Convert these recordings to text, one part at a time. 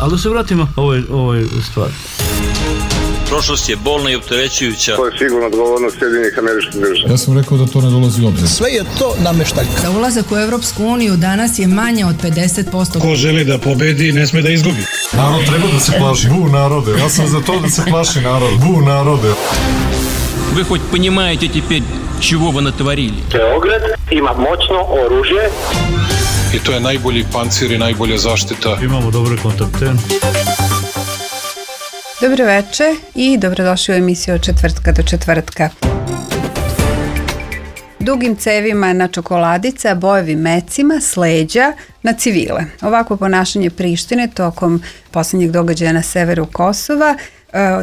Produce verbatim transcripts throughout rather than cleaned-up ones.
Ali da se vratimo ovoj, ovoj stvari. Prošlost je bolna i opterećujuća. To je sigurno odgovornost Sjedinjenih Američkih Država. Ja sam rekao da to ne dolazi u obzir. Sve je to nameštaljka. Za ulazak u Evropsku uniju danas je manje od pedeset posto. Ko želi da pobedi, ne sme da izgubi. Narod treba da se plaši. Bu narode. Ja sam za to da se plaši narod. Bu narode. Вы хоть понимаете теперь, чего вы натворили? Beograd ima moćno oružje. I to je najbolji pancir i najbolja zaštita. Imamo dobre kontakte. Dobro večer i dobrodošli u emisiju od četvrtka do četvrtka. Dugim cevima na čokoladice, a bojevim mecima s leđa na civile. Ovakvo ponašanje Prištine tokom posljednjeg događaja na severu Kosova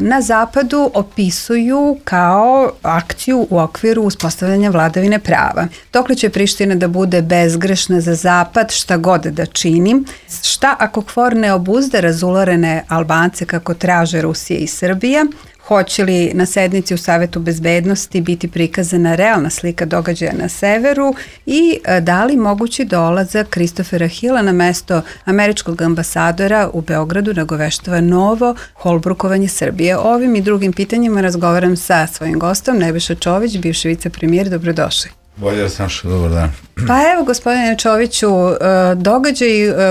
na zapadu opisuju kao akciju u okviru uspostavljanja vladavine prava. Dokle će Priština da bude bezgrešna za zapad, šta god da čini? Šta ako KFOR ne obuzde razularene Albance kako traže Rusija i Srbija? Hoće li na sednici u Savetu bezbednosti biti prikazana realna slika događaja na severu i da li mogući dolazak Kristofera Hila na mesto američkog ambasadora u Beogradu nagoveštava novo holbrukovanje Srbije? O ovim i drugim pitanjima razgovaram sa svojim gostom, Nebojša Čović, bivši vicepremijer. Dobrodošli. Bolje vas našao, dobar dan. Pa evo, gospodine Čoviću, događaj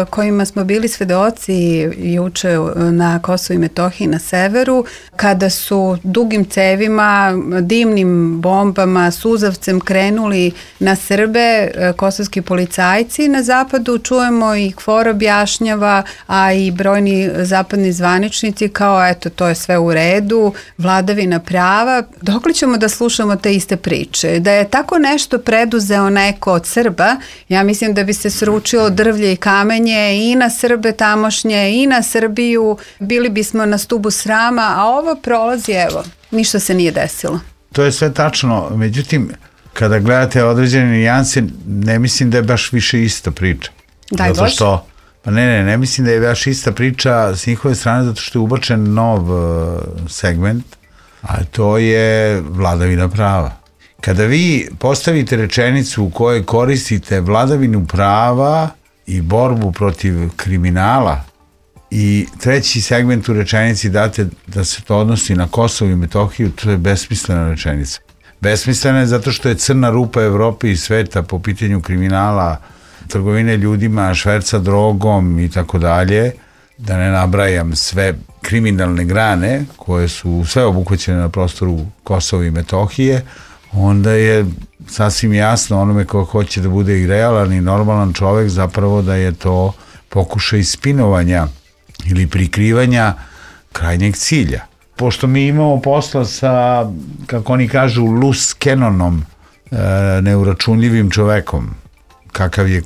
kojima smo bili svedoci juče na Kosovu i Metohiji na severu, kada su dugim cevima, dimnim bombama, suzavcem krenuli na Srbe kosovski policajci na zapadu, čujemo i KFOR objašnjava, a i brojni zapadni zvaničnici kao eto, to je sve u redu, vladavina prava. Dokle ćemo da slušamo te iste priče? Da je tako nešto preduzeo neko od Srba, ja mislim da bi se sručilo drvlje i kamenje i na Srbe tamošnje i na Srbiju, bili bismo na stubu srama, a ovo prolazi, evo, ništa se nije desilo. To je sve tačno, međutim, kada gledate određene nijanse, ne mislim da je baš više ista priča. Daj zato Bože. Što, pa ne, ne, ne mislim da je baš ista priča s njihove strane, zato što je ubačen nov uh, segment, a to je vladavina prava. Kada vi postavite rečenicu u kojoj koristite vladavinu prava i borbu protiv kriminala i treći segment u rečenici date da se to odnosi na Kosovo i Metohiju, to je besmislena rečenica. Besmislena je zato što je crna rupa Evrope i sveta po pitanju kriminala, trgovine ljudima, šverca drogom i tako dalje, da ne nabrajam sve kriminalne grane koje su sve obuhvaćene na prostoru Kosova i Metohije, onda je sasvim jasno onome ko hoće da bude i realan i normalan čovek zapravo da je to pokušaj spinovanja ili prikrivanja krajnjeg cilja. Pošto mi imamo posla sa, kako oni kažu, loose canonom, e, neuračunljivim čovekom, kakav je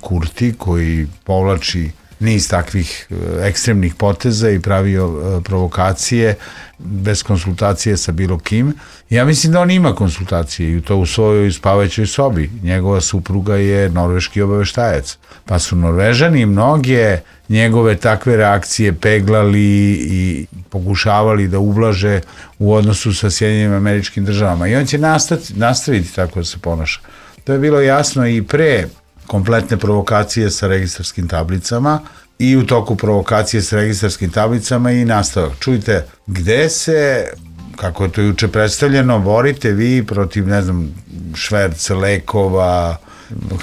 Kurti koji povlači niz takvih ekstremnih poteza i pravio provokacije bez konsultacije sa bilo kim. Ja mislim da on ima konsultacije i to u svojoj spavajućoj sobi. Njegova supruga je norveški obaveštajac. Pa su Norvežani mnoge njegove takve reakcije peglali i pokušavali da ublaže u odnosu sa Sjedinjenim Američkim Državama. I on će nastaviti, nastaviti tako da se ponaša. To je bilo jasno i pre kompletne provokacije sa registarskim tablicama i u toku provokacije sa registarskim tablicama i nastavak. Čujte, gde se, kako je to juče predstavljeno, borite vi protiv, ne znam, šverca, lekova,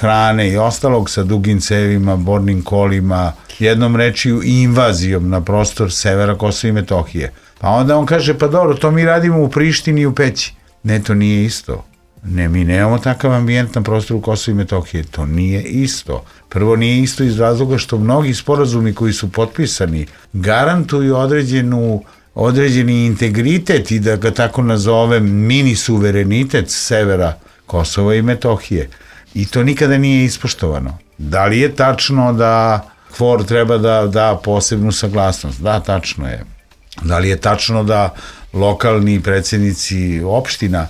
hrane i ostalog sa dugim cevima, bornim kolima, jednom rečju i invazijom na prostor severa Kosova i Metohije. Pa onda on kaže, pa dobro, to mi radimo u Prištini i u Peći. Ne, to nije isto. Ne, mi nemamo takav ambijent na prostoru Kosova i Metohije. To nije isto. Prvo nije isto iz razloga što mnogi sporazumi koji su potpisani garantuju određenu, određeni integritet i da ga tako nazovem mini suverenitet severa Kosova i Metohije. I to nikada nije ispoštovano. Da li je tačno da KFOR treba da da posebnu saglasnost? Da, tačno je. Da li je tačno da lokalni predsjednici opština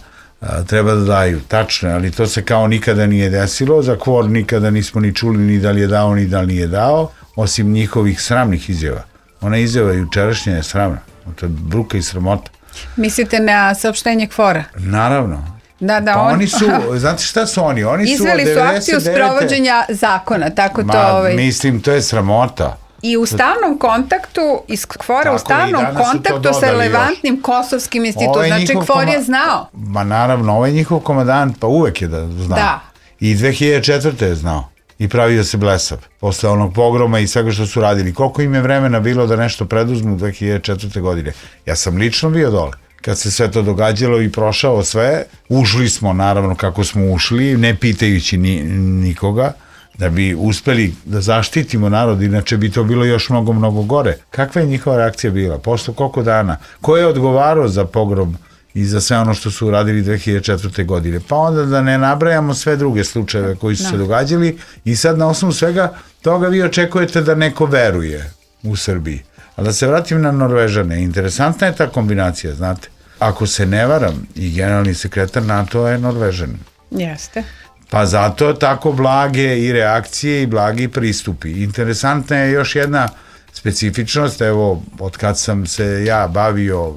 treba da daju? Tačno je, ali to se kao nikada nije desilo. Za KFOR nikada nismo ni čuli ni da li je dao ni da li nije dao, osim njihovih sramnih izjava. Ona izjava jučerašnja je sramna. To je bruka i sramota. Mislite na saopštenje KFOR-a? Naravno. Da, da, pa on... oni su, znate šta su oni? Oni Izveli su akciju sprovođenja zakona, tako to... Ma, ovaj... mislim, to je sramota. I u stalnom kontaktu, iz Kfora Tako, u stalnom kontaktu sa relevantnim još. Kosovskim institutom. Ovaj znači, Kfor koma... je znao. Ma naravno, ovaj njihov komandant, pa uvek je da znao. Da. I dve hiljade četvrte je znao. I pravio se blesav. Posle onog pogroma i svega što su radili. Koliko im je vremena bilo da nešto preduzmu u dve hiljade četvrte godine? Ja sam lično bio dole. Kad se sve to događalo i prošao sve, ušli smo, naravno, kako smo ušli, ne pitajući ni, nikoga, da bi uspeli da zaštitimo narod, inače bi to bilo još mnogo, mnogo gore. Kakva je njihova reakcija bila? Posle koliko dana? Ko je odgovarao za pogrom i za sve ono što su uradili dve hiljade četvrte godine? Pa onda da ne nabrajamo sve druge slučajeve koji su no. se događali i sad na osnovu svega toga vi očekujete da neko veruje u Srbiji. A da se vratim na Norvežane, interesantna je ta kombinacija, znate. Ako se ne varam, i generalni sekretar NATO je Norvežan. Jeste. Pa zato tako blage i reakcije i blagi pristupi. Interesantna je još jedna specifičnost, evo, od kad sam se ja bavio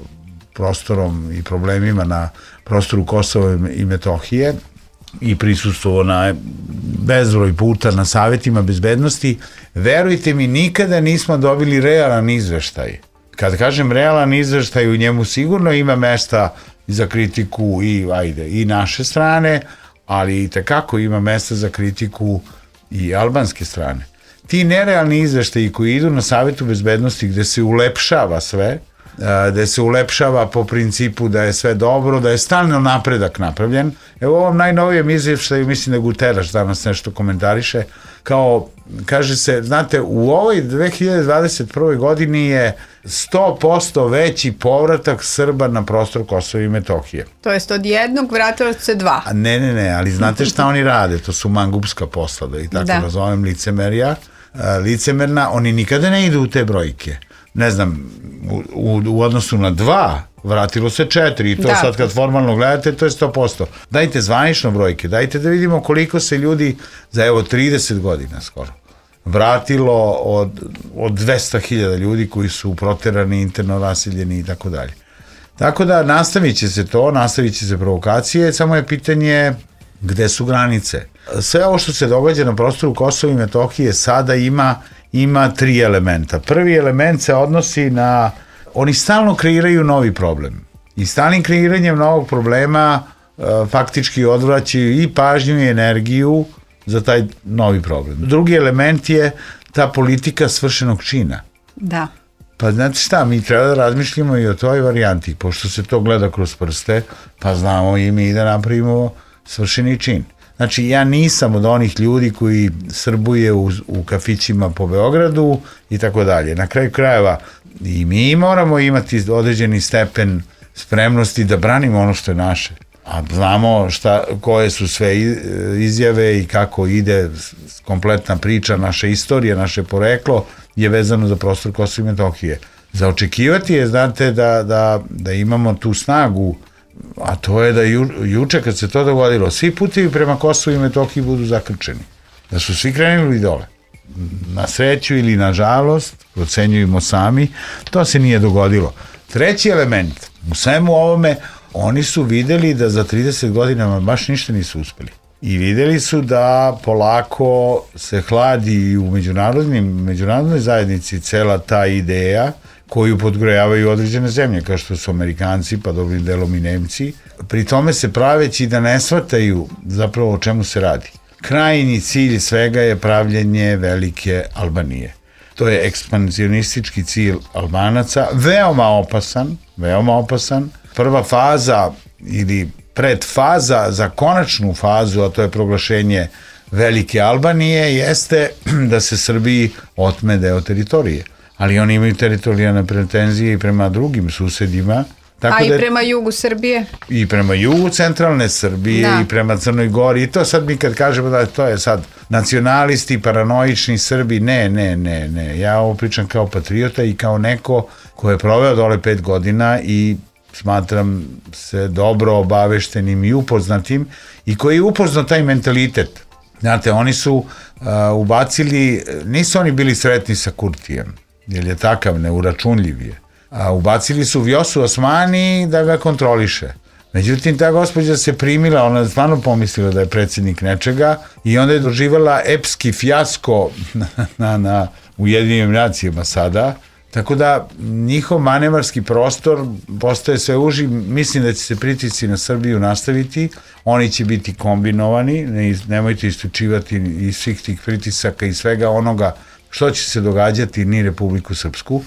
prostorom i problemima na prostoru Kosova i Metohije i prisustvovao na bezbroj puta na savjetima bezbednosti, verujte mi, nikada nismo dobili realan izveštaj. Kad kažem realan izveštaj, u njemu sigurno ima mesta za kritiku i, ajde, i naše strane, ali i tekako ima mesta za kritiku i albanske strane. Ti nerealni izveštaji koji idu na savjetu bezbednosti gde se ulepšava sve, gde se ulepšava po principu da je sve dobro, da je stalno napredak napravljen. Evo u ovom najnovijem izvještaju, mislim da Guterres danas nešto komentariše, kao, kaže se, znate, u ovoj dve hiljade dvadeset prve godini je sto posto veći povratak Srba na prostor Kosova i Metohije. To jest od jednog vratilo se dva. A ne, ne, ne, ali znate šta oni rade? To su mangupska posla, i tako da nazovem licemerija. Licemerna, oni nikada ne idu u te brojke. Ne znam, u, u, u odnosu na dva, vratilo se četiri i to da. Sad kad formalno gledate, to je sto posto. Dajte zvanično brojke, dajte da vidimo koliko se ljudi za evo trideset godina skoro vratilo od, od dvesta hiljada ljudi koji su proterani, interno rasiljeni i tako dalje. Tako da nastavit će se to, nastavit će se provokacije, samo je pitanje gde su granice. Sve ovo što se događa na prostoru Kosova i Metohije sada ima ima tri elementa. Prvi element se odnosi na, oni stalno kreiraju novi problem. I stalnim kreiranjem novog problema e, faktički odvraćaju i pažnju i energiju za taj novi problem. Drugi element je ta politika svršenog čina. Da. Pa znate šta, mi treba da razmišljamo i o toj varijanti, pošto se to gleda kroz prste, pa znamo i mi da napravimo svršeni čin. Znači, ja nisam od onih ljudi koji srbuje u, u kafićima po Beogradu i tako dalje. Na kraju krajeva i mi moramo imati određeni stepen spremnosti da branimo ono što je naše. A znamo šta, koje su sve izjave i kako ide kompletna priča, naša istorija, naše poreklo je vezano za prostor Kosova i Metohije. Za očekivati je, znate, da, da, da imamo tu snagu, a to je da ju, juče kad se to dogodilo, svi putevi prema Kosovu i Metohiji budu zakrčeni. Da su svi krenuli dole. Na sreću ili na žalost, procenjujemo sami, to se nije dogodilo. Treći element, u svemu ovome, oni su videli da za trideset godina baš ništa nisu uspeli. I videli su da polako se hladi u međunarodnim, međunarodnoj zajednici cela ta ideja koju podgrejavaju određene zemlje, kao što su Amerikanci, pa dobrim delom i Nemci, pri tome se praveći da ne shvataju zapravo o čemu se radi. Krajnji cilj svega je pravljenje velike Albanije. To je ekspansionistički cilj Albanaca, veoma opasan, veoma opasan. Prva faza ili predfaza za konačnu fazu, a to je proglašenje velike Albanije, jeste da se Srbiji otme deo teritorije. Ali oni imaju teritorijalne pretenzije i prema drugim susedima. Tako a da, i prema jugu Srbije? I prema jugu centralne Srbije, da. I prema Crnoj Gori. I to sad mi kad kažemo da to je sad nacionalisti, paranoični Srbi, ne, ne, ne, ne. Ja ovo pričam kao patriota i kao neko ko je proveo dole pet godina i smatram se dobro obaveštenim i upoznatim i koji je upoznao taj mentalitet. Znate, oni su uh, ubacili, nisu oni bili sretni sa Kurtijem, jer je takav, neuračunljiv je. A ubacili su Vjosu Osmani da ga kontroliše. Međutim, ta gospođa se primila, ona je stvarno pomislila da je predsjednik nečega i onda je doživala epski fijasko na, na, na Ujedinjenim nacijama sada. Tako da njihov manevarski prostor postaje sve uži, mislim da će se pritisci na Srbiju nastaviti, oni će biti kombinovani, ne, nemojte istučivati iz svih tih pritisaka i svega onoga što će se događati ni Republiku Srpsku,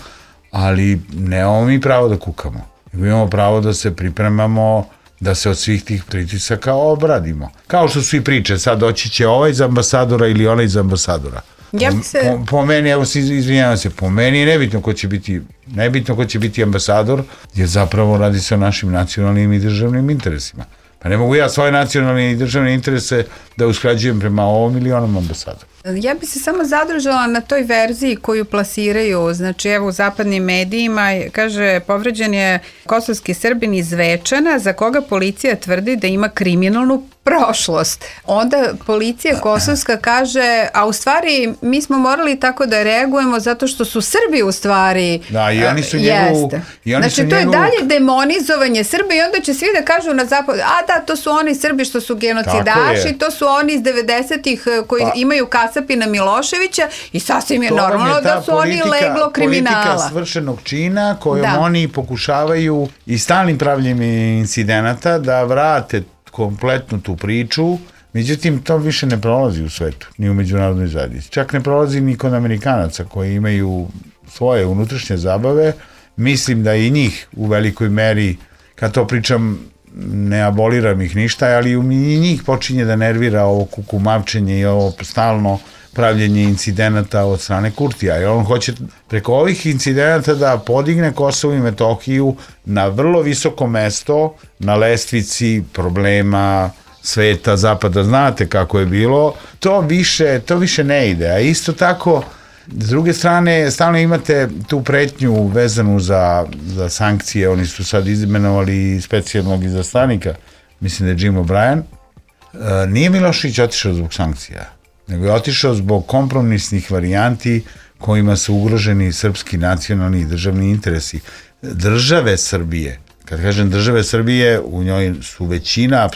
ali nemamo mi pravo da kukamo, nego imamo pravo da se pripremamo, da se od svih tih pritisaka obradimo. Kao što su i priče, sad doći će ovaj iz ambasadora ili onaj iz ambasadora. Ja se... po, po meni, evo se izvinjavam se, po meni je nebitno ko će biti, nebitno ko će biti ambasador, jer zapravo radi se o našim nacionalnim i državnim interesima. Pa ne mogu ja svoje nacionalne i državne interese da usklađujem prema ovom ili onom ambasadoru. Ja bi se samo zadržala na toj verziji koju plasiraju, znači evo u zapadnim medijima, kaže povređen je kosovski Srbin iz Zvečana za koga policija tvrdi da ima kriminalnu prošlost. Onda policija kosovska kaže, a u stvari mi smo morali tako da reagujemo zato što su Srbi u stvari da, i oni su njegovu, i oni znači su to njegovu... je dalje demonizovanje Srba i onda će svi da kažu na zapadu, a da, to su oni Srbi što su genocidaši, to su oni iz devedesetih koji pa, imaju Kasapina Miloševića i sasvim je normalno je da su politika, oni leglo kriminala. Politika svršenog čina kojom da. oni pokušavaju i stalnim pravljenjem incidenata da vrate kompletnu tu priču, međutim to više ne prolazi u svetu, ni u međunarodnoj zajednici. Čak ne prolazi ni kod Amerikanaca koji imaju svoje unutrašnje zabave. Mislim da i njih u velikoj meri, kad to pričam, ne aboliram ih ništa, ali i njih počinje da nervira ovo kukumavčenje i ovo stalno pravljenje incidenata od strane Kurtija. Jer on hoće preko ovih incidenata da podigne Kosovo i Metohiju na vrlo visoko mesto na lestvici problema sveta, zapada. Znate kako je bilo. To više, to više ne ide. A isto tako, s druge strane, stalno imate tu pretnju vezanu za, za sankcije. Oni su sad imenovali specijalnog izaslanika, mislim da je Jim O'Brien. E, nije Milošević otišao zbog sankcija, nego je otišao zbog kompromisnih varijanti kojima su ugroženi srpski nacionalni i državni interesi. Države Srbije, kad kažem države Srbije, u njoj su većina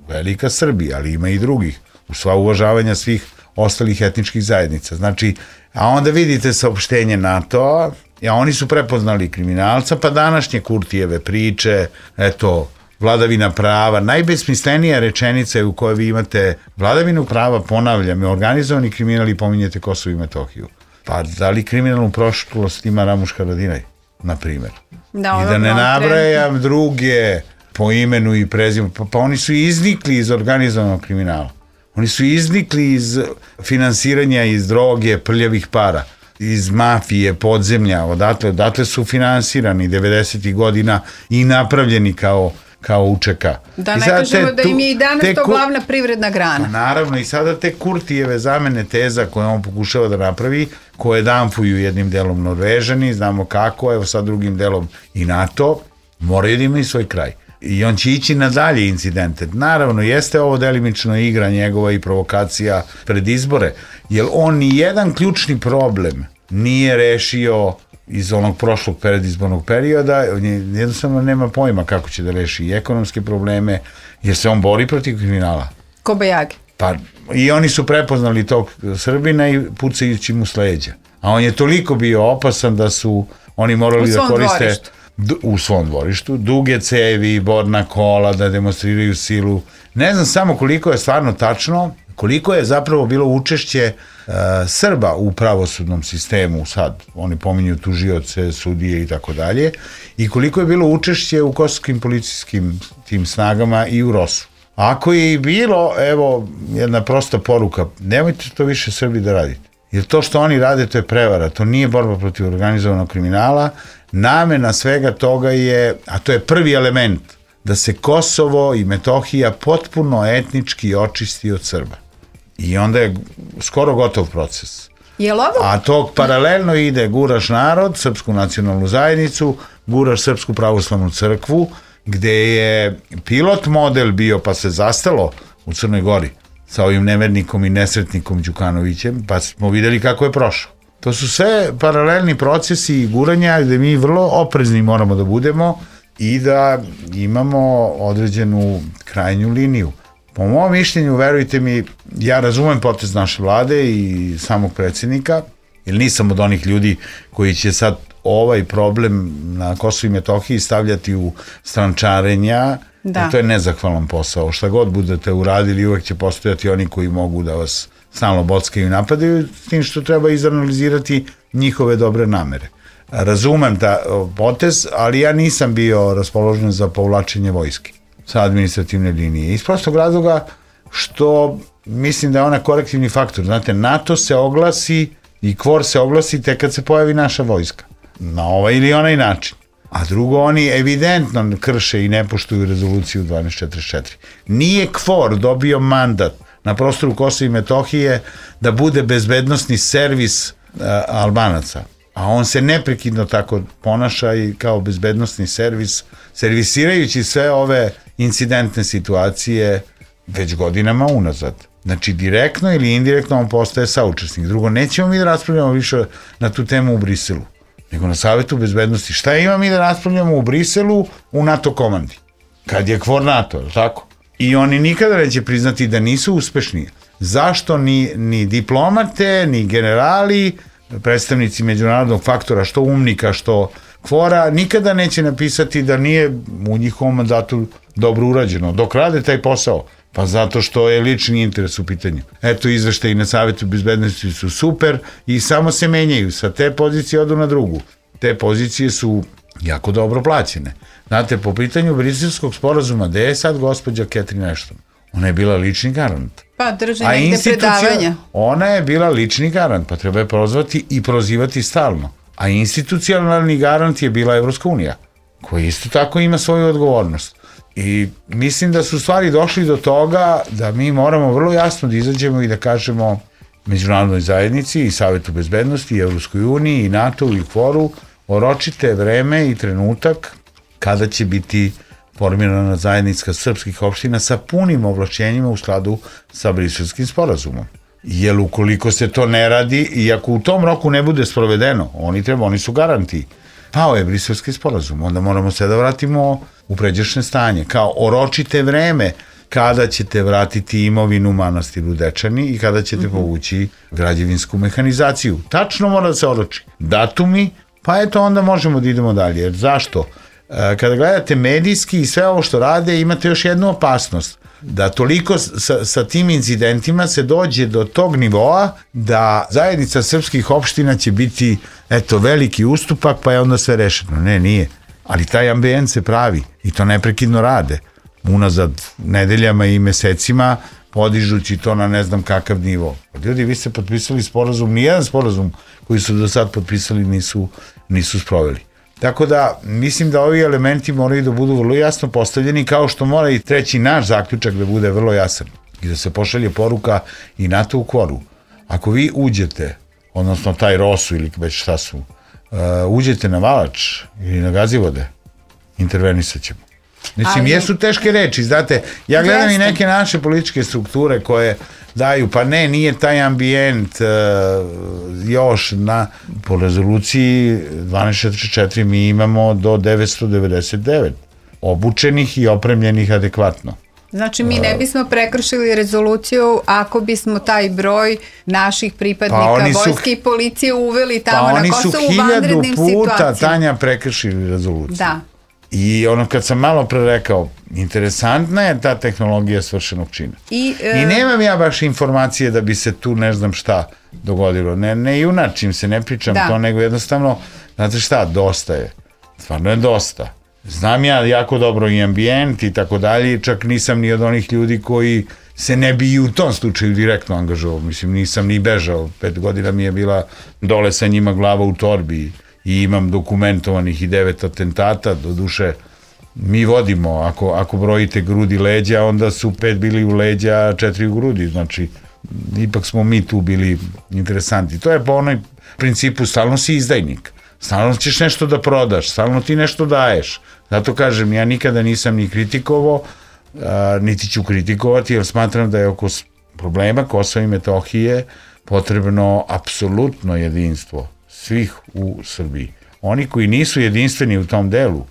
velika Srbija, ali ima i drugih, u sva uvažavanja svih ostalih etničkih zajednica. Znači, a onda vidite saopštenje NATO-a, a oni su prepoznali kriminalca, pa današnje Kurtijeve priče, eto, vladavina prava, najbesmislenija rečenica je u kojoj vi imate vladavinu prava, ponavljam, je organizovani kriminal i pominjete Kosovo i Metohiju. Pa da li kriminalnu prošlost ima Ramuš Haradinaj, na primjer? Da, I da ne nabrajam druge po imenu i prezimenu, pa, pa oni su iznikli iz organizovanog kriminala. Oni su iznikli iz finansiranja, iz droge, prljavih para, iz mafije, podzemlja, odatle, odatle su finansirani devedesetih godina i napravljeni kao kao U Č K. Da ne kažemo da im je i danas to glavna privredna grana. Naravno, i sada te Kurtijeve zamene teza koje on pokušava da napravi, koje danfuju jednim delom Norvežani, znamo kako, evo sad drugim delom i NATO, moraju da imaju svoj kraj. I on će ići na dalje incidente. Naravno, jeste ovo delimično igra njegova i provokacija pred izbore, jer on ni jedan ključni problem nije rešio iz onog prošlog predizbornog perioda, jednostavno nema pojma kako će da reši i ekonomske probleme, jer se on bori protiv kriminala. Kobajagi. Pa, i oni su prepoznali tog Srbina i pucajući mu s leđa. A on je toliko bio opasan da su oni morali da koriste dvorištu. u svom dvorištu, duge cevi, borna kola, da demonstriraju silu. Ne znam samo koliko je stvarno tačno, koliko je zapravo bilo učešće uh, Srba u pravosudnom sistemu, sad oni pominju tužioce, sudije i tako dalje, i koliko je bilo učešće u kosovskim policijskim tim snagama i u Rosu. Ako je i bilo, evo, jedna prosta poruka, nemojte to više Srbi da radite. Jer to što oni rade, to je prevara, to nije borba protiv organizovanog kriminala, namena svega toga je, a to je prvi element, da se Kosovo i Metohija potpuno etnički očisti od Srba. I onda je skoro gotov proces. A tog paralelno ide guraš narod, srpsku nacionalnu zajednicu, guraš Srpsku pravoslavnu crkvu, gde je pilot model bio, pa se zastalo u Crnoj Gori sa ovim nevernikom i nesretnikom Đukanovićem, pa smo videli kako je prošao. To su sve paralelni procesi i guranja gde mi vrlo oprezni moramo da budemo i da imamo određenu krajnju liniju. Po mom mišljenju, verujte mi, ja razumem potez naše vlade i samog predsjednika, jer nisam od onih ljudi koji će sad ovaj problem na Kosovu i Metohiji stavljati u strančarenja, da. To je nezahvalan posao. Šta god budete uradili, uvek će postojati oni koji mogu da vas stalno bockaju i napadaju, s tim što treba izanalizirati njihove dobre namere. Razumem ta potez, ali ja nisam bio raspoložen za povlačenje vojske sa administrativne linije. Iz prostog razloga što mislim da je ona korektivni faktor. Znate, NATO se oglasi i KFOR se oglasi tek kad se pojavi naša vojska. Na ovaj ili onaj način. A drugo, oni evidentno krše i ne poštuju rezoluciju dvanaest četrdeset četiri. Nije KFOR dobio mandat na prostoru Kosova i Metohije da bude bezbednosni servis uh, Albanaca. A on se neprekidno tako ponaša i kao bezbednosni servis, servisirajući sve ove incidentne situacije već godinama unazad. Znači, direktno ili indirektno on postaje saučesnik. Drugo, nećemo mi da raspravljamo više na tu temu u Briselu, nego na Savetu bezbednosti. Šta ima mi da raspravljamo u Briselu u NATO komandi? Kad je KFOR NATO, tako? I oni nikada neće priznati da nisu uspešni. Zašto ni, ni diplomate, ni generali, predstavnici međunarodnog faktora, što umnika, što KFOR-a, nikada neće napisati da nije u njihovom mandatu dobro urađeno. Dok rade taj posao, pa zato što je lični interes u pitanju. Eto, izveštaji na Savetu bezbednosti su super i samo se menjaju. Sa te pozicije odu na drugu. Te pozicije su jako dobro plaćene. Znate, po pitanju Briselskog sporazuma, gde je sad gospođa Catherine Ashton? Ona je bila lični garant. Pa drži negde predavanja. Ona je bila lični garant, pa treba je prozvati i prozivati stalno. A institucionalni garant je bila Evropska unija, koja isto tako ima svoju odgovornost. I mislim da su stvari došli do toga da mi moramo vrlo jasno da izađemo i da kažemo međunarodnoj zajednici i Savetu bezbednosti, i Evropskoj uniji, i NATO i KFOR-u, oročite vreme i trenutak kada će biti formirana zajednica srpskih opština sa punim ovlašćenjima u skladu sa Briselskim sporazumom. Jer ukoliko se to ne radi i ako u tom roku ne bude sprovedeno, oni treba, oni su garanti. Pao je Briselski sporazum, onda moramo se da vratimo u pređašnje stanje. Kao oročite vreme kada ćete vratiti imovinu manastiru Dečani i kada ćete mm-hmm. povući građevinsku mehanizaciju. Tačno mora da se oroči. Datumi, pa eto onda možemo da idemo dalje. Jer zašto? Kada gledate medijski i sve ovo što rade, imate još jednu opasnost. Da toliko sa, sa tim incidentima se dođe do tog nivoa da zajednica srpskih opština će biti eto veliki ustupak pa je onda sve rešeno. Ne, nije. Ali taj ambijent se pravi i to neprekidno rade. Unazad nedeljama i mesecima podižući to na ne znam kakav nivo. Ljudi, vi ste potpisali sporazum, nijedan sporazum koji su do sad potpisali nisu, nisu sproveli. Tako da, mislim da ovi elementi moraju da budu vrlo jasno postavljeni, kao što mora i treći naš zaključak da bude vrlo jasan i da se pošalje poruka i NATO u KFOR-u. Ako vi uđete, odnosno taj Rosu ili već šta su, uh, uđete na Valač ili na Gazivode, intervenisat ćemo. Mislim, ali jesu teške reči, znate, ja gledam jeste. I neke naše političke strukture koje daju, pa ne, nije taj ambijent uh, još na, po rezoluciji dvanaest četrdeset četiri mi imamo do devetsto devedeset devet obučenih i opremljenih adekvatno. Znači mi ne bismo prekršili rezoluciju ako bismo taj broj naših pripadnika pa vojske i policije uveli tamo pa na Kosovu u vanrednim situacijama. Pa oni su hiljadu puta, Tanja, prekršili rezoluciju. Da. I ono kad sam malo pre rekao, interesantna je ta tehnologija svršenog čina. I, e... I nemam ja baš informacije da bi se tu ne znam šta dogodilo. Ne, ne junačim se, ne pričam da. To, nego jednostavno, znate šta, dosta je. Stvarno je dosta. Znam ja jako dobro i ambijent i tako dalje, čak nisam ni od onih ljudi koji se ne bi i u tom slučaju direktno angažovao. Mislim, nisam ni bežao. Pet godina mi je bila dole sa njima glava u torbi i imam dokumentovanih i devet atentata, do duše mi vodimo, ako, ako brojite grudi leđa, onda su pet bili u leđa, četiri u grudi, znači ipak smo mi tu bili interesanti. To je po onoj principu, stalno si izdajnik, stalno ćeš nešto da prodaš, stalno ti nešto daješ. Zato kažem, ja nikada nisam ni kritikovao, a, niti ću kritikovati, jer smatram da je oko problema Kosova i Metohije potrebno apsolutno jedinstvo svih u Srbiji. Oni koji nisu jedinstveni u tom delu,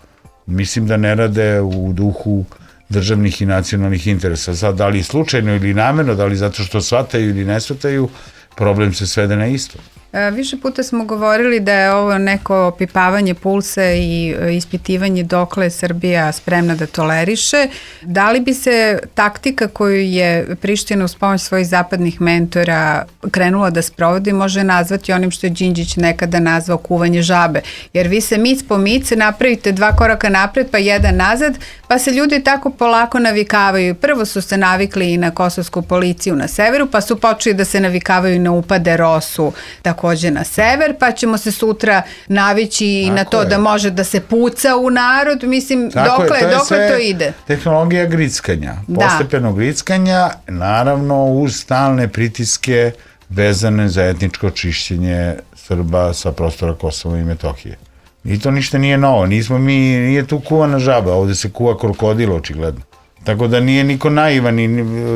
mislim da ne rade u duhu državnih i nacionalnih interesa. Sad, da li slučajno ili namerno, da li zato što shvataju ili ne shvataju, problem se svede na isto. E, više puta smo govorili da je ovo neko opipavanje pulsa i ispitivanje dokle je Srbija spremna da toleriše. Da li bi se taktika koju je Priština uz pomoć svojih zapadnih mentora krenula da sprovodi može nazvati onim što je Đinđić nekada nazvao kuvanje žabe? Jer vi se mic po mic napravite dva koraka napred pa jedan nazad, pa se ljudi tako polako navikavaju. Prvo su se navikli i na kosovsku policiju na severu, pa su počeli da se navikavaju na upade Rosu takođe na sever, pa ćemo se sutra navići i na to je. Da može da se puca u narod. Mislim, tako dokle, je, to, dokle to ide? Tehnologija grickanja, da. Postepeno grickanja, naravno uz stalne pritiske vezane za etničko čišćenje Srba sa prostora Kosova i Metohije. I to ništa nije novo, nismo mi, nije tu kuvana žaba, ovde se kuva krokodil očigledno. Tako da nije niko naivan i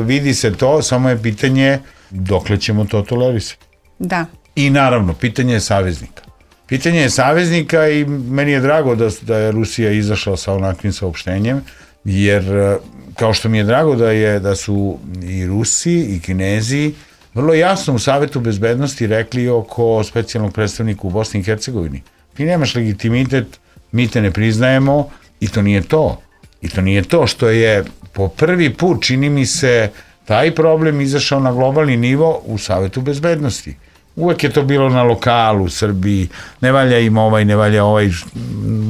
vidi se to, samo je pitanje dokle ćemo to tolerisati. Da. I naravno, pitanje je saveznika. Pitanje je saveznika i meni je drago da, da je Rusija izašla sa onakvim saopštenjem, jer kao što mi je drago da, je, da su i Rusi i Kinezi vrlo jasno u Savetu bezbednosti rekli oko specijalnog predstavnika u Bosni i Hercegovini. Ti nemaš legitimitet, mi te ne priznajemo i to nije to. I to nije to što je po prvi put, čini mi se, taj problem izašao na globalni nivo u Savetu bezbednosti. Uvek je to bilo na lokalu u Srbiji, ne valja im ovaj, ne valja ovaj,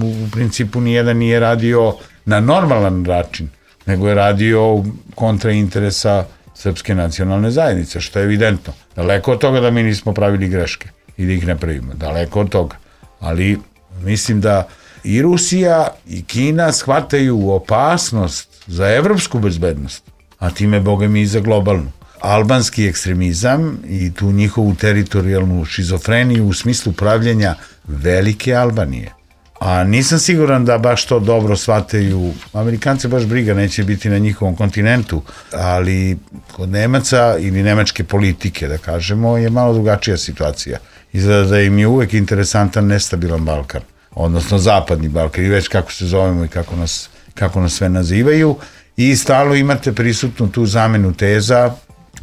u principu nijedan nije radio na normalan način, nego je radio kontra interesa srpske nacionalne zajednice, što je evidentno. Daleko od toga da mi nismo pravili greške i da ih ne pravimo, daleko od toga. Ali mislim da i Rusija i Kina shvataju opasnost za evropsku bezbednost, a time, boga mi, i za globalnu. Albanski ekstremizam i tu njihovu teritorijalnu šizofreniju u smislu pravljenja velike Albanije. A nisam siguran da baš to dobro shvataju. Amerikance baš briga neće biti na njihovom kontinentu, ali kod Nemaca ili nemačke politike, da kažemo, je malo drugačija situacija. Izgleda da im je uvek interesantan nestabilan Balkan, odnosno zapadni Balkan, i već kako se zovemo i kako nas, kako nas sve nazivaju. I stalno imate prisutnu tu zamenu teza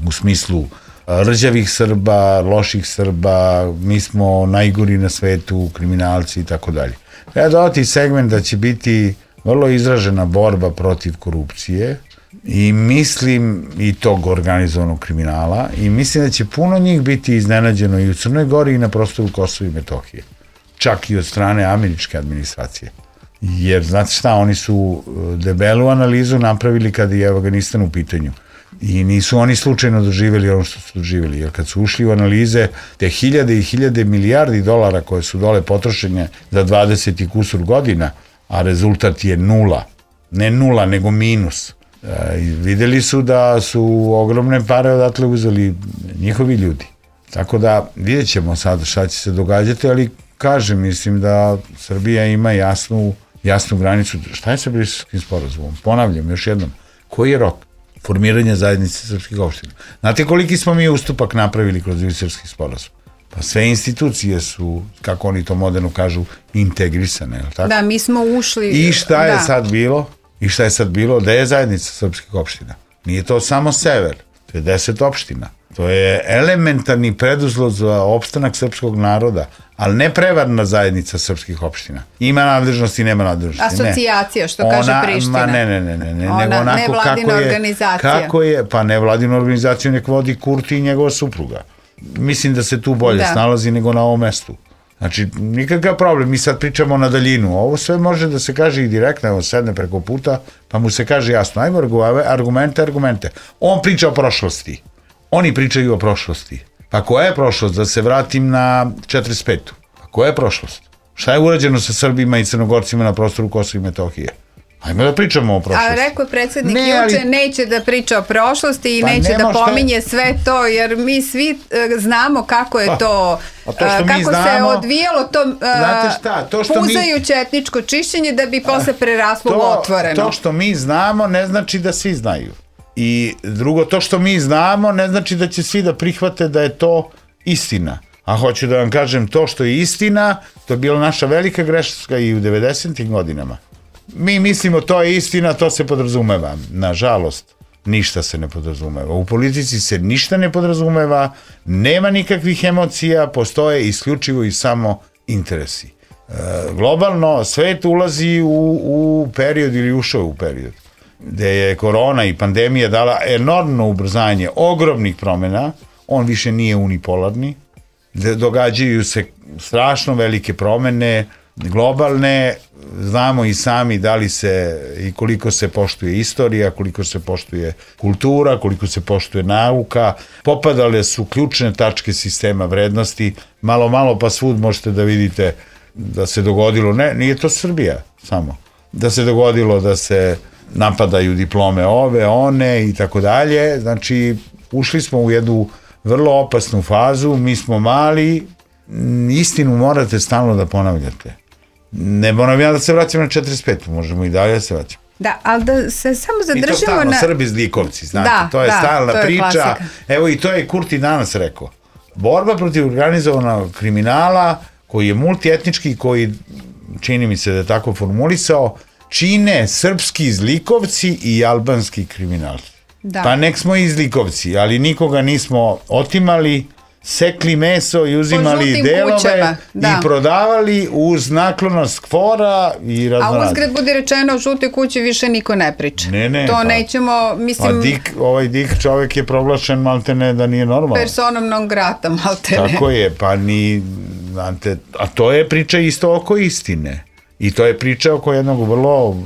u smislu rđavih Srba, loših Srba, mi smo najgori na svetu, kriminalci i tako dalje. Treba dodati segment da će biti vrlo izražena borba protiv korupcije i mislim i tog organizovanog kriminala i mislim da će puno njih biti iznenađeno i u Crnoj Gori i na prostoru Kosova i Metohije. Čak i od strane američke administracije. Jer, znate šta, oni su debelu analizu napravili kada je Afganistan u pitanju. I nisu oni slučajno doživjeli ono što su doživjeli, jer kad su ušli u analize te hiljade i hiljade milijardi dolara koje su dole potrošenje za dvadeset i kusur godina, a rezultat je nula, ne nula, nego minus. E, videli su da su ogromne pare odatle uzeli njihovi ljudi. Tako da vidjet ćemo sad šta će se događati, ali kažem, mislim da Srbija ima jasnu, jasnu granicu. Šta je sa Briselskim sporazumom? Ponavljam još jednom, koji je rok formiranja zajednice srpskih opština? Znate koliki smo mi ustupak napravili kroz Briselski sporazum? Pa sve institucije su, kako oni to moderno kažu, integrisane, je li tako? Da, mi smo ušli... I šta je da. sad bilo? I šta je sad bilo? Da je zajednica srpskih opština? Nije to samo sever, to je deset opština. To je elementarni preduslov za opstanak srpskog naroda, ali ne prevarna zajednica srpskih opština. Ima nadležnosti, nema nadležnosti. Asocijacija, što ona, kaže Priština. Ma ne, ne, ne, ne, ne. Ona nego onako nevladina kako je, organizacija. Kako je, pa nevladinu organizaciju nek vodi Kurti i njegova supruga. Mislim da se tu bolje da. snalazi nego na ovom mestu. Znači, nikakav problem, mi sad pričamo na daljinu. Ovo sve može da se kaže i direktno, evo sedne preko puta, pa mu se kaže jasno, ajmo argumente, argumente. On priča o prošlosti. Oni pričaju o prošlosti. Pa koja je prošlost? Da se vratim na četrdeset petu. Pa koja je prošlost? Šta je urađeno sa Srbima i Crnogorcima na prostoru Kosova i Metohije? Ajmo da pričamo o prošlosti. A rekao je predsjednik ne, juče, ali... neće da priča o prošlosti i pa neće da pominje je... sve to, jer mi svi uh, znamo kako je to, pa, to uh, kako znamo, se odvijalo to, uh, šta, to što puzajuće mi... etničko čišćenje da bi posle preraslo u otvoreno. To što mi znamo ne znači da svi znaju. I drugo, to što mi znamo ne znači da će svi da prihvate da je to istina. A hoću da vam kažem, to što je istina, to je bila naša velika greška i u devedesetim godinama. mi mislimo to je istina, to se podrazumeva. Nažalost, ništa se ne podrazumeva. U politici se ništa ne podrazumeva, nema nikakvih emocija, postoje isključivo i samo interesi. E, globalno, svet ulazi u, u period ili ušao u period gde je korona i pandemija dala enormno ubrzanje ogromnih promjena, on više nije unipolarni, događaju se strašno velike promjene, globalne, znamo i sami da li se i koliko se poštuje istorija, koliko se poštuje kultura, koliko se poštuje nauka, popadale su ključne tačke sistema vrednosti, malo malo pa svud možete da vidite da se dogodilo, ne, nije to Srbija samo, da se dogodilo da se napadaju diplome ove, one i tako dalje, znači ušli smo u jednu vrlo opasnu fazu, mi smo mali, istinu morate stalno da ponavljate. Ne moram ja da se vraćam na četrdeset petu, možemo i dalje da se vraćamo. Da, ali da se samo zadržimo na... I to stalno, Srbi zlikovci, znate, da, to je da, stalna to je priča. Klasika. Evo i to je Kurti danas rekao. Borba protiv organizovanog kriminala, koji je multietnički, koji, čini mi se da je tako formulisao, čine srpski zlikovci i albanski kriminalci. Da. Pa nek smo i zlikovci, ali nikoga nismo otimali, sekli meso i uzimali delove da. I prodavali uz naklonost KFOR-a i raznorazno. A uzgred budi rečeno, o žutoj kući više niko ne priča. Ne, ne. To pa, nećemo, mislim... A dik, ovaj dik čovjek je proglašen maltene da nije normalno. Personom non grata maltene. Tako je, pa ni... Znate, a to je priča isto oko istine. I to je priča oko jednog vrlo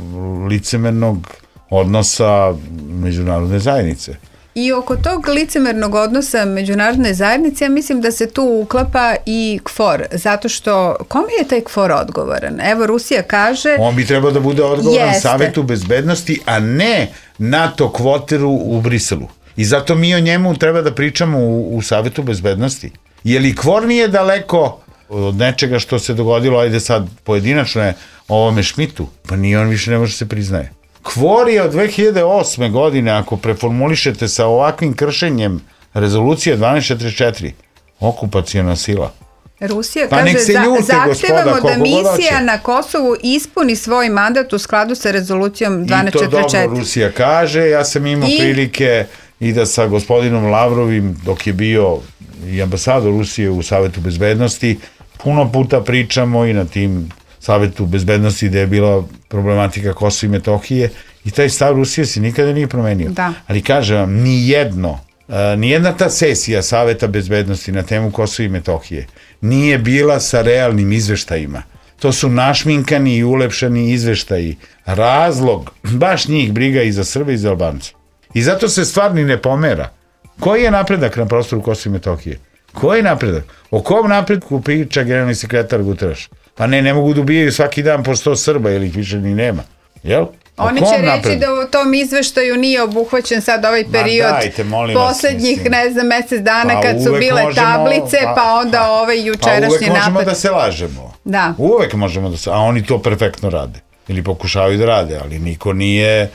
licemernog odnosa međunarodne zajednice. I oko tog licemernog odnosa međunarodne zajednice, ja mislim da se tu uklapa i KFOR, zato što kome je taj KFOR odgovoran? Evo, Rusija kaže... On bi trebao da bude odgovoran jeste. Savetu bezbednosti, a ne NATO kvoteru u Briselu. I zato mi o njemu treba da pričamo u, u Savetu bezbednosti. Je li KFOR nije daleko od nečega što se dogodilo, ajde sad pojedinačno je ovome Šmitu, pa nije, on više ne može se priznaje. KFOR je od dve hiljade osme godine, ako preformulišete sa ovakvim kršenjem rezolucije dvanaest četrdeset četiri, okupacijona sila. Rusija pa kaže, ljute, zahtevamo gospoda, da misija na Kosovu ispuni svoj mandat u skladu sa rezolucijom dvanaest četrdeset četiri. I to dobro Rusija kaže, ja sam imao I... prilike i da sa gospodinom Lavrovim, dok je bio i ambasador Rusije u Savetu bezbednosti, puno puta pričamo i na tim Savetu bezbednosti gde je bila problematika Kosova i Metohije i taj stav Rusije se nikada nije promenio. Da. Ali kažem vam, nijedno, nijedna ta sesija Saveta bezbednosti na temu Kosova i Metohije nije bila sa realnim izveštajima. To su našminkani i ulepšani izveštaji. Razlog, baš njih briga i za Srbe i za Albance. I zato se stvar ni ne pomera. Koji je napredak na prostoru Kosova i Metohije? Koji je napredak? O kom napredku priča generalni sekretar Guterres? Pa ne, ne mogu da ubijaju svaki dan po sto Srba, jer ih više ni nema. Jel? Oni će reći napred? Da u tom izveštaju nije obuhvaćen sad ovaj period dajte, poslednjih, vas, ne znam, mesec dana pa kad su bile možemo, tablice, pa, pa onda pa, ovaj jučerašnji napad. Pa uvek možemo napad. Da se lažemo. Da. Uvek možemo da se, a oni to perfektno rade. Ili pokušavaju da rade, ali niko nije...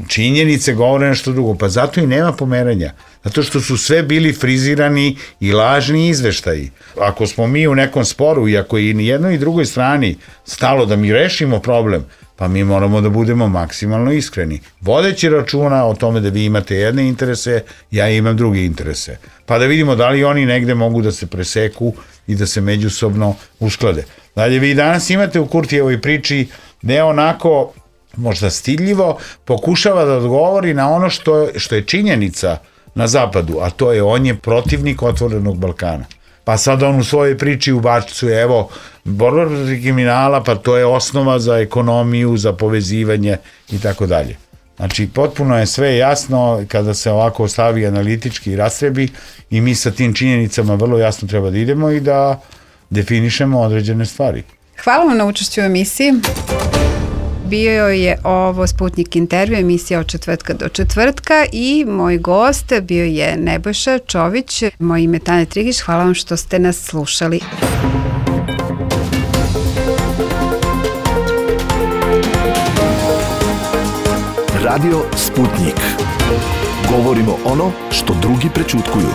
Činjenice govore nešto drugo, pa zato i nema pomeranja. Zato što su sve bili frizirani i lažni izveštaji. Ako smo mi u nekom sporu i ako je i ni jednoj i drugoj strani stalo da mi rešimo problem, pa mi moramo da budemo maksimalno iskreni. Vodeći računa o tome da vi imate jedne interese, ja imam druge interese. Pa da vidimo da li oni negde mogu da se preseku i da se međusobno usklade. Dalje, vi danas imate u Kurtijevoj priči ne onako... možda stiljivo, pokušava da odgovori na ono što, što je činjenica na zapadu, a to je on je protivnik otvorenog Balkana. Pa sad on u svojoj priči ubacuje, evo, borba protiv kriminala, pa to je osnova za ekonomiju, za povezivanje i tako dalje. Znači, potpuno je sve jasno kada se ovako stavi analitički i rastrebi i mi sa tim činjenicama vrlo jasno treba da idemo i da definišemo određene stvari. Hvala vam na učešću u emisiji. Bio je ovo Sputnik intervju, emisija od četvrtka do četvrtka i moj gost bio je Nebojša Čović. Moje ime je Tanja Trigić, hvala vam što ste nas slušali. Radio Sputnik. Govorimo ono što drugi prećutkuju.